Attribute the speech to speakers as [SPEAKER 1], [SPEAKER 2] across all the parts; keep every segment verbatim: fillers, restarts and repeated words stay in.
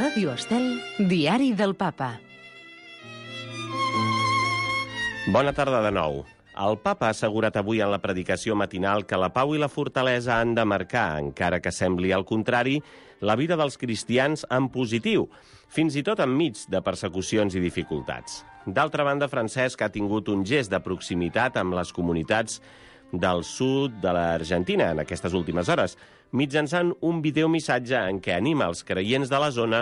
[SPEAKER 1] Ràdio Estel, Diari del Papa.
[SPEAKER 2] Bona tarda de nou. El papa ha assegurat avui en la predicació matinal que la pau i la fortalesa han de marcar, encara que sembli al contrari, la vida dels cristians en positiu, fins i tot enmig de persecucions i dificultats. D'altra banda, Francesc ha tingut un gest de proximitat amb les comunitats del sud de l'Argentina en aquestes últimes hores, mitjançant un videomissatge en què anima els creients de la zona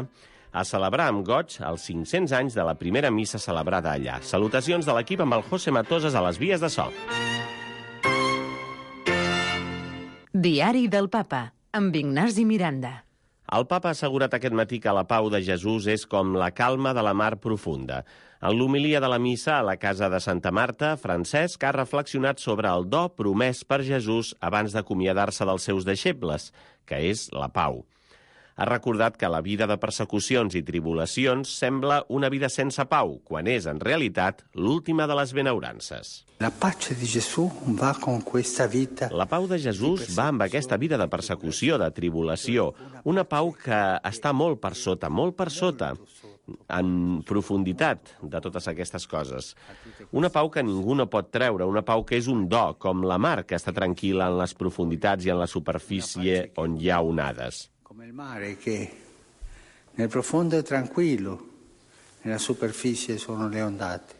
[SPEAKER 2] a celebrar amb goig els cinc-cents anys de la primera missa celebrada allà. Salutacions de l'equip amb el José Matoses a les vies de so.
[SPEAKER 1] Diari del Papa, amb Ignasi Miranda.
[SPEAKER 2] El papa ha assegurat aquest matí que la pau de Jesús és com la calma de la mar profunda. En l'homilia de la missa a la casa de Santa Marta, Francesc ha reflexionat sobre el do promès per Jesús abans d'acomiadar-se dels seus deixebles, que és la pau. Ha recordat que la vida de persecucions i tribulacions sembla una vida sense pau, quan és, en realitat, l'última de les benaurances.
[SPEAKER 3] La pace di Gesù va con questa vita.
[SPEAKER 2] La pau de Jesús va amb aquesta vida de persecució, de tribulació, una pau que està molt per sota, molt per sota, en profunditat de totes aquestes coses. Una pau que ningú no pot treure, una pau que és un do, com la mar que està tranquil·la en les profunditats i en la superfície on hi ha onades.
[SPEAKER 3] Come il mare che nel profondo è tranquillo, nella superficie sono le ondate.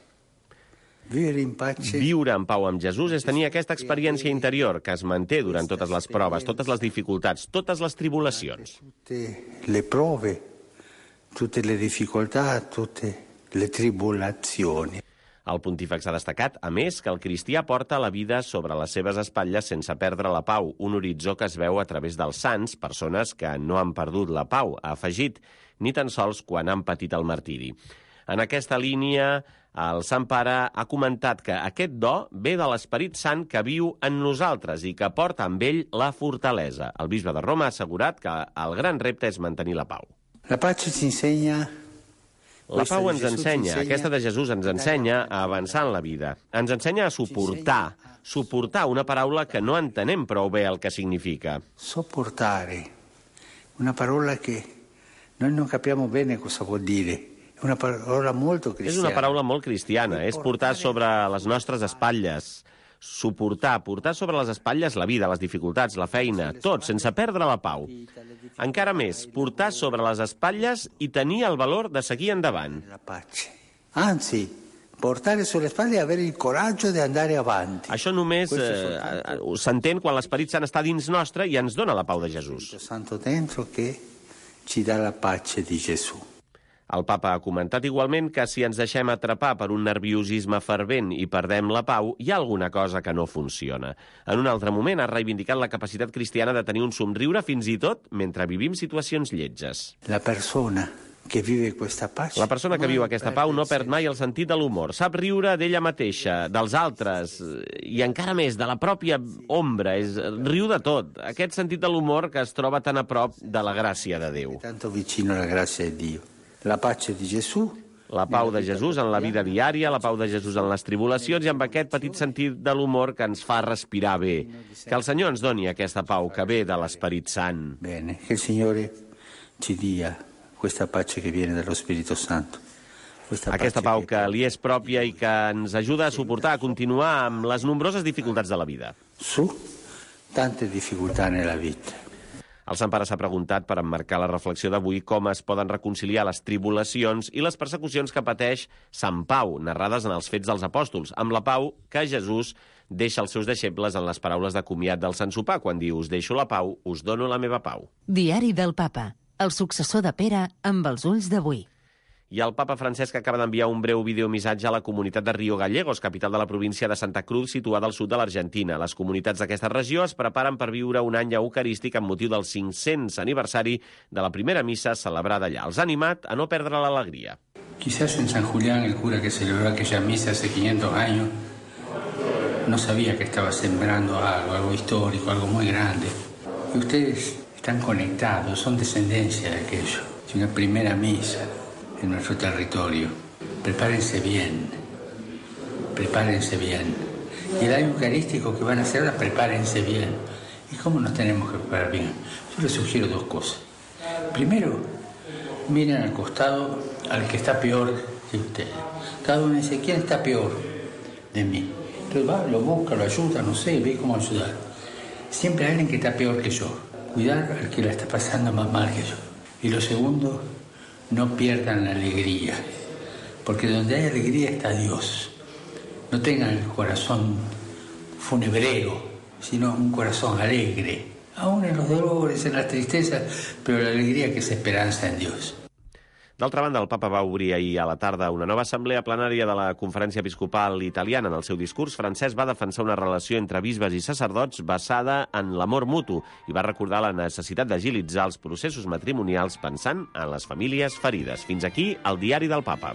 [SPEAKER 3] Vivere in pace.
[SPEAKER 2] Viure en pau amb Jesús és tenir aquesta experiència interior que es manté durant totes les proves, totes les dificultats, totes les tribulacions.
[SPEAKER 3] Tutte le prove, tutte le difficoltà, tutte le tribolazioni.
[SPEAKER 2] El pontífex ha destacat, a més, que el cristià porta la vida sobre les seves espatlles sense perdre la pau, un horitzó que es veu a través dels sants, persones que no han perdut la pau, ha afegit, ni tan sols quan han patit el martiri. En aquesta línia, el Sant Pare ha comentat que aquest do ve de l'Esperit Sant que viu en nosaltres i que porta amb ell la fortalesa. El bisbe de Roma ha assegurat que el gran repte és mantenir la pau.
[SPEAKER 3] La pace ci insegna.
[SPEAKER 2] La pau ens ensenya, aquesta de Jesús ens ensenya a avançar en la vida. Ens ensenya a suportar, suportar una paraula que no entenem prou bé el que significa.
[SPEAKER 3] Sopportare, una parola che noi non capiamo bene cosa vuol dire. È una parola molto cristiana.
[SPEAKER 2] És una paraula molt cristiana, és portar sobre les nostres espatlles. Suportar, portar sobre les espatlles la vida, les dificultats, la feina, tot, sense perdre la pau. Encara més, portar sobre les espatlles i tenir el valor de seguir endavant.
[SPEAKER 3] La pace. Anzi, portare sulle spalle e avere il coraggio di andare avanti.
[SPEAKER 2] Això només eh, s'entén quan l'Esperit Sant està dins nostre i ens dona la pau de Jesús.
[SPEAKER 3] Santo dentro che ci dà la pace di Gesù.
[SPEAKER 2] El papa ha comentat igualment que si ens deixem atrapar per un nerviosisme fervent i perdem la pau, hi ha alguna cosa que no funciona. En un altre moment ha reivindicat la capacitat cristiana de tenir un somriure fins i tot mentre vivim situacions lletges.
[SPEAKER 3] La persona que vive questa pace.
[SPEAKER 2] La persona que viu aquesta pau no perd mai el sentit de l'humor. Sap riure d'ella mateixa, dels altres, i encara més, de la pròpia ombra. És, riu de tot. Aquest sentit de l'humor que es troba tan a prop de la gràcia de Déu.
[SPEAKER 3] Tanto vicino alla grazia di Dio. La pace di Gesù.
[SPEAKER 2] La pau de Jesús en la vida diària, la pau de Jesús en les tribulacions i amb aquest petit sentit de l'humor que ens fa respirar bé. Que el Senyor ens doni aquesta pau que ve de l'Esperit Sant.
[SPEAKER 3] Bene, che il Signore ci dia questa pace che viene dallo Spirito Santo.
[SPEAKER 2] Aquesta pau que li és pròpia i que ens ajuda a suportar, a continuar amb les nombroses dificultats de la vida.
[SPEAKER 3] Su tante difficoltà nella vita.
[SPEAKER 2] El Sant Pare s'ha preguntat per emmarcar la reflexió d'avui com es poden reconciliar les tribulacions i les persecucions que pateix Sant Pau, narrades en els Fets dels Apòstols, amb la pau que Jesús deixa als seus deixebles en les paraules de comiat del Sant Sopar, quan diu «Us deixo la pau, us dono la meva pau».
[SPEAKER 1] Diari del Papa, el successor de Pere amb els ulls d'avui.
[SPEAKER 2] I el papa Francesc acaba d'enviar un breu videomissatge a la comunitat de Rio Gallegos, capital de la província de Santa Cruz, situada al sud de l'Argentina. Les comunitats d'aquesta regió es preparen per viure un any eucarístic amb motiu del cinc-cents aniversari de la primera missa celebrada allà. Els ha animat a no perdre l'alegria.
[SPEAKER 4] Quizás en San Julián el cura que celebró aquella misa hace quinientos años no sabía que estaba sembrando algo, algo histórico, algo muy grande. Y ustedes están conectados, son descendencia de aquello. Es una primera misa en nuestro territorio. Prepárense bien, prepárense bien. Y el año eucarístico que van a hacer ahora, prepárense bien. ¿Y cómo nos tenemos que preparar bien? Yo les sugiero dos cosas. Primero, miren al costado al que está peor que ustedes. Cada uno dice, ¿quién está peor de mí? Entonces va, lo busca, lo ayuda, no sé, ve cómo ayudar. Siempre hay alguien que está peor que yo. Cuidar al que la está pasando más mal que yo. Y lo segundo, no pierdan la alegría. Porque donde hay alegría está Dios. No tengan el corazón funebrero, sino un corazón alegre. Aún en los dolores, en las tristezas, pero la alegría que es esperanza en Dios.
[SPEAKER 2] D'altra banda, el papa va obrir ahir a la tarda una nova assemblea plenària de la Conferència Episcopal Italiana. En el seu discurs, Francesc va defensar una relació entre bisbes i sacerdots basada en l'amor mutu i va recordar la necessitat d'agilitzar els processos matrimonials pensant en les famílies ferides. Fins aquí el diari del papa.